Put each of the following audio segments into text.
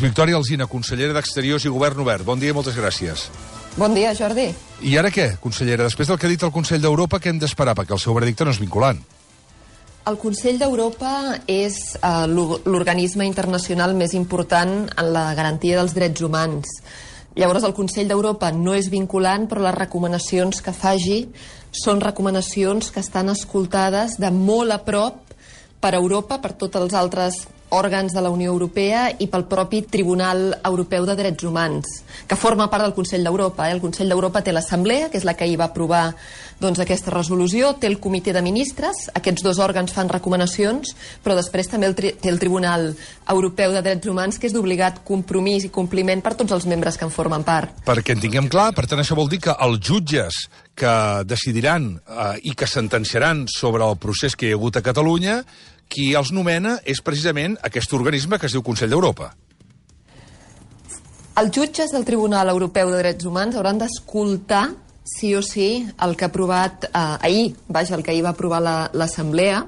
Victòria Alsina, consellera d'Exteriors i Govern Obert. Bon dia i moltes gràcies. Bon dia, Jordi. I ara què, consellera? Després del que ha dit el Consell d'Europa, què hem d'esperar? Perquè el seu veredicte no és vinculant. El Consell d'Europa és l'organisme internacional més important en la garantia dels drets humans. Llavors, el Consell d'Europa no és vinculant, però les recomanacions que faci són recomanacions que estan escoltades de molt a prop per Europa, per tots els altres òrgans de la Unió Europea i pel propi Tribunal Europeu de Drets Humans, que forma part del Consell d'Europa. El Consell d'Europa té l'Assemblea, que és la que hi va aprovar aquesta resolució, té el Comitè de Ministres, aquests dos òrgans fan recomanacions, però després també té el Tribunal Europeu de Drets Humans, que és d'obligat compromís i compliment per tots els membres que en formen part. Perquè en tinguem clar, per tant això vol dir que els jutges que decidiran i que sentenciaran sobre el procés que hi ha hagut a Catalunya, qui els nomena és precisament aquest organisme que es diu Consell d'Europa. Els jutges del Tribunal Europeu de Drets Humans hauran d'escoltar sí o sí el que ha aprovat ahir, el que ahir va aprovar l'Assemblea.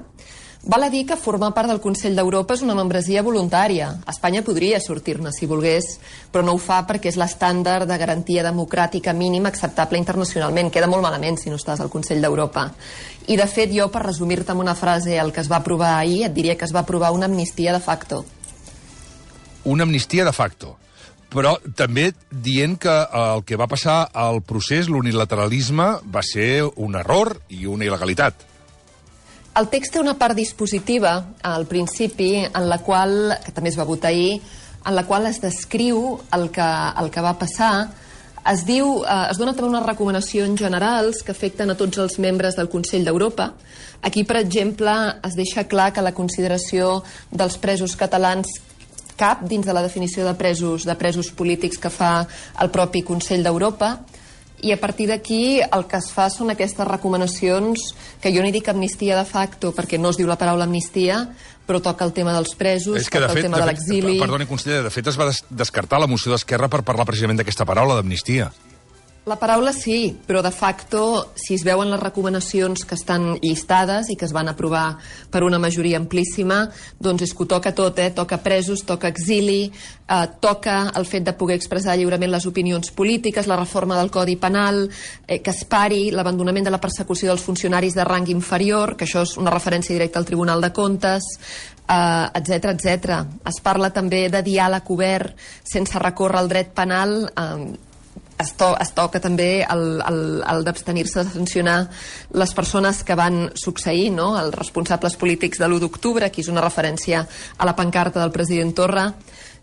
Val a dir que formar part del Consell d'Europa és una membresia voluntària. Espanya podria sortir-ne si volgués, però no ho fa perquè és l'estàndard de garantia democràtica mínima acceptable internacionalment. Queda molt malament si no estàs al Consell d'Europa. I, de fet, jo, per resumir-te amb una frase el que es va aprovar ahir, et diria que es va aprovar una amnistia de facto. Una amnistia de facto. Però també dient que el que va passar al procés, l'unilateralisme, va ser un error i una il·legalitat. El text té una part dispositiva, al principi, en la qual, que també es va votar ahir, en la qual es descriu el que va passar. Es dona també unes recomanacions generals que afecten a tots els membres del Consell d'Europa. Aquí, per exemple, es deixa clar que la consideració dels presos catalans cap dins de la definició de presos polítics que fa el propi Consell d'Europa. I a partir d'aquí el que es fa són aquestes recomanacions que jo n'hi dic amnistia de facto perquè no es diu la paraula amnistia, però toca el tema dels presos, toca el tema de l'exili. Perdoni, consellera, de fet es va descartar la moció d'Esquerra per parlar precisament d'aquesta paraula, d'amnistia. La paraula sí, però de facto, si es veuen les recomanacions que estan llistades i que es van aprovar per una majoria amplíssima, doncs és que ho toca tot, toca presos, toca exili, toca el fet de poder expressar lliurement les opinions polítiques, la reforma del Codi Penal, que es pari l'abandonament de la persecució dels funcionaris de rang inferior, que això és una referència directa al Tribunal de Comptes, etc etc. Es parla també de diàleg obert sense recórrer al dret penal. Es toca també el d'abstenir-se de sancionar les persones que van succeir, els responsables polítics de l'1 d'octubre, aquí és una referència a la pancarta del president Torra.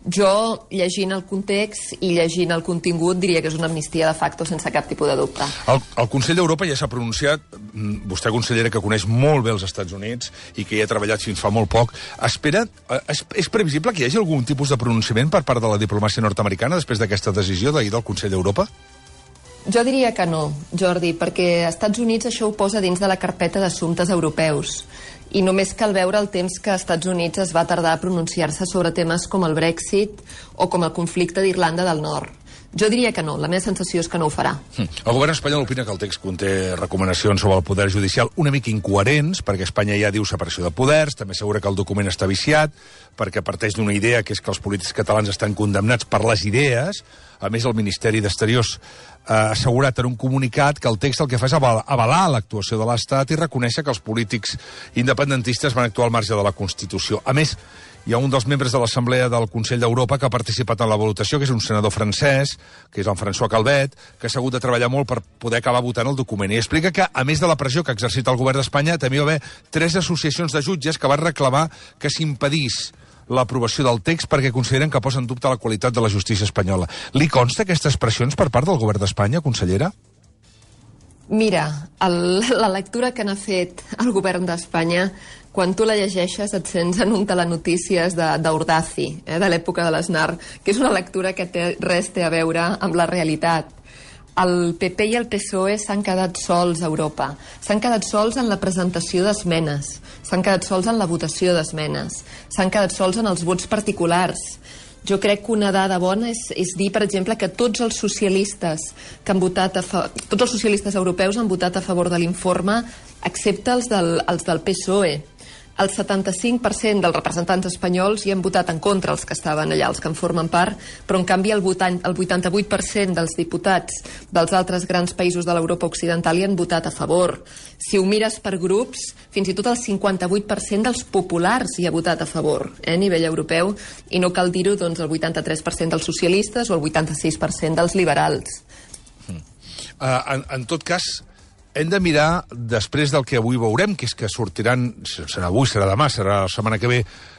Jo, llegint el context i llegint el contingut, diria que és una amnistia de facto sense cap tipus de dubte. El Consell d'Europa ja s'ha pronunciat, vostè, consellera, que coneix molt bé els Estats Units i que hi ha treballat fins fa molt poc, és previsible que hi hagi algun tipus de pronunciament per part de la diplomàcia nord-americana després d'aquesta decisió d'ahir del Consell d'Europa? Jo diria que no, Jordi, perquè als Estats Units això ho posa dins de la carpeta d'assumptes europeus. I només cal veure el temps que als Estats Units es va tardar a pronunciar-se sobre temes com el Brexit o com el conflicte d'Irlanda del Nord. Jo diria que no, la meva sensació és que no ho farà. El govern espanyol opina que el text conté recomanacions sobre el poder judicial una mica incoherents, perquè Espanya ja diu separació de poders, també assegura que el document està viciat, perquè parteix d'una idea que és que els polítics catalans estan condemnats per les idees. A més, el Ministeri d'Exteriors ha assegurat en un comunicat que el text el que fa és avalar l'actuació de l'Estat i reconèixer que els polítics independentistes van actuar al marge de la Constitució. A més, hi ha un dels membres de l'Assemblea del Consell d'Europa que ha participat en la votació, que és un senador francès, que és el François Calvet, que s'ha hagut de treballar molt per poder acabar votant el document. I explica que, a més de la pressió que ha exercit el govern d'Espanya, també hi va haver 3 associacions de jutges que van reclamar que s'impedís l'aprovació del text perquè consideren que posa en dubte la qualitat de la justícia espanyola. Li consta aquestes pressions per part del govern d'Espanya, consellera? Mira, la lectura que n'ha fet el govern d'Espanya, quan tu la llegeixes et sents en un telenotícies d'Ordazi, de l'època de l'Aznar, que és una lectura que res té a veure amb la realitat. El PP i el PSOE s'han quedat sols a Europa. S'han quedat sols en la presentació d'esmenes, s'han quedat sols en la votació d'esmenes, s'han quedat sols en els vots particulars. Jo crec que una dada bona és dir, per exemple, que tots els socialistes que han votat tots els socialistes europeus han votat a favor de l'informe, excepte els del PSOE. El 75% dels representants espanyols hi han votat en contra, els que estaven allà, els que en formen part, però en canvi el 88% dels diputats dels altres grans països de l'Europa Occidental hi han votat a favor. Si ho mires per grups, fins i tot el 58% dels populars hi ha votat a favor, a nivell europeu, i no cal dir-ho, doncs, el 83% dels socialistes o el 86% dels liberals. En tot cas, hem de mirar, després del que avui veurem, que és que sortiran, serà avui, serà demà, serà la setmana que ve,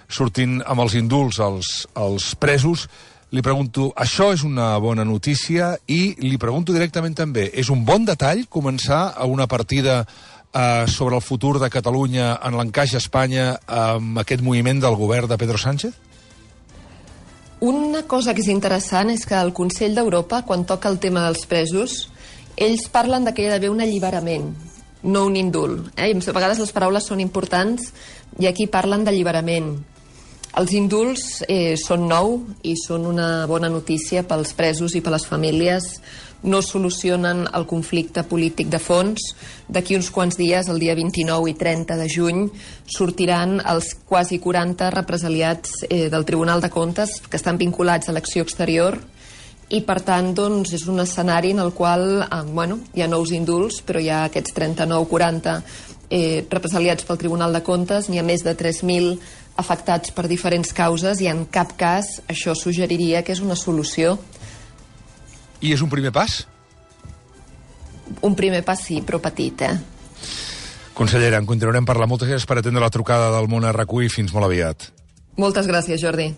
sortint amb els indults els presos. Li pregunto, això és una bona notícia? I li pregunto directament també, és un bon detall començar a una partida sobre el futur de Catalunya en l'encaix a Espanya amb aquest moviment del govern de Pedro Sánchez? Una cosa que és interessant és que el Consell d'Europa, quan toca el tema dels presos, ells parlen que hi ha d'haver un alliberament, no un indult. A vegades les paraules són importants i aquí parlen d'alliberament. Els indults són nou i són una bona notícia pels presos i per les famílies. No solucionen el conflicte polític de fons. D'aquí uns quants dies, el dia 29 i 30 de juny, sortiran els quasi 40 represaliats del Tribunal de Comptes que estan vinculats a l'acció exterior. I, per tant, doncs, és un escenari en el qual hi ha nous indults, però hi ha aquests 39-40 represaliats pel Tribunal de Comptes, n'hi ha més de 3.000 afectats per diferents causes i en cap cas això suggeriria que és una solució. I és un primer pas? Un primer pas sí, però petit, Consellera, en continuarem parlant. Moltes gràcies per atendre la trucada del Món RQ i fins molt aviat. Moltes gràcies, Jordi.